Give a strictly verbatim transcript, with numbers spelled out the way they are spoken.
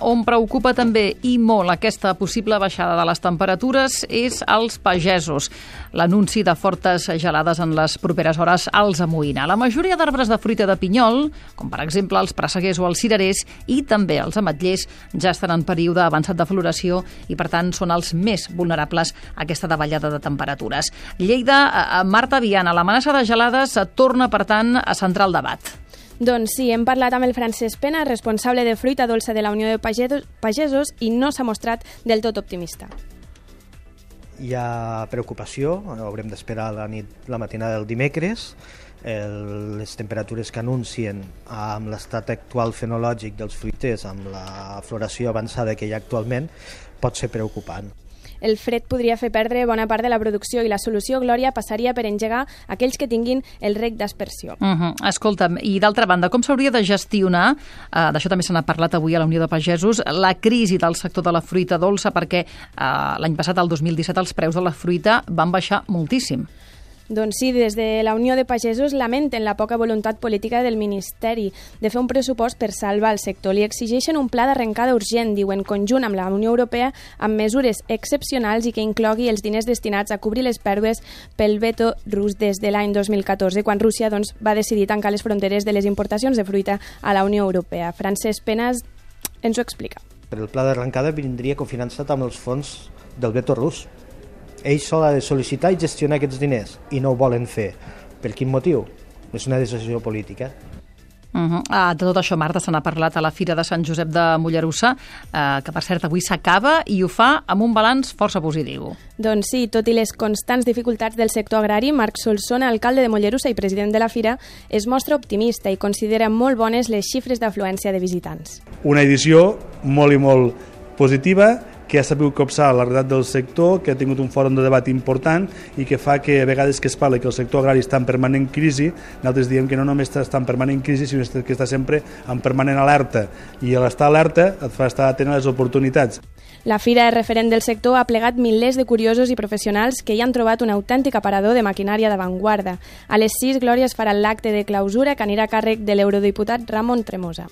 On preocupa també i molt aquesta possible baixada de les temperatures és als pagesos. L'anunci de fortes gelades en les properes hores els amoïna. La majoria d'arbres de fruita de pinyol, com per exemple els presseguers o els cirerers, i també els ametllers, ja estan en període avançat de floració i, per tant, són els més vulnerables a aquesta davallada de temperatures. Lleida, Marta Viana, l'amenaça de gelades torna, per tant, a centrar el debat. Doncs sí, hem parlat amb el Francesc Pena, responsable de fruita dolça de la Unió de Pagesos, i no s'ha mostrat del tot optimista. Hi ha preocupació, haurem d'esperar la nit, la matinada del dimecres. El, les temperatures que anuncien amb l'estat actual fenològic dels fruiters, amb la floració avançada que hi ha actualment, pot ser preocupant. El fred podria fer perdre bona part de la producció i la solució, Glòria, passaria per engegar aquells que tinguin el rec d'aspersió. Uh -huh. Escolta'm, i d'altra banda, com s'hauria de gestionar, uh, d'això també se n'ha parlat avui a la Unió de Pagesos, la crisi del sector de la fruita dolça, perquè uh, l'any passat, el dos mil disset, els preus de la fruita van baixar moltíssim. Doncs sí, des de la Unió de Pagesos lamenten la poca voluntat política del Ministeri de fer un pressupost per salvar el sector. Li exigeixen un pla d'arrencada urgent, diuen, conjunt amb la Unió Europea, amb mesures excepcionals i que inclogui els diners destinats a cobrir les pèrdues pel veto rus des de l'any dos mil catorze, quan Rússia doncs, va decidir tancar les fronteres de les importacions de fruita a la Unió Europea. Francesc Penas ens ho explica. Per el pla d'arrencada vindria cofinançat amb els fons del veto rus. Ells sols han de sol·licitar i gestionar aquests diners i no ho volen fer. Per quin motiu? És una decisió política. Uh -huh. ah, de tot això, Marta, se n'ha parlat a la Fira de Sant Josep de Mollerussa, eh, que per cert avui s'acaba i ho fa amb un balanç força positiu. Doncs sí, tot i les constants dificultats del sector agrari, Marc Solsona, alcalde de Mollerussa i president de la Fira, es mostra optimista i considera molt bones les xifres d'afluència de visitants. Una edició molt i molt positiva, que ha sabut copsar la realitat del sector, que ha tingut un fòrum de debat important i que fa que a vegades que es parla que el sector agrari està en permanent crisi, nosaltres diem que no només està en permanent crisi, sinó que està sempre en permanent alerta, i l'estar alerta et fa estar atent a les oportunitats. La Fira referent del sector ha plegat milers de curiosos i professionals que hi han trobat un autèntic aparador de maquinària d'avantguarda. A les sis, Glòria, es farà l'acte de clausura que anirà a càrrec de l'eurodiputat Ramon Tremosa.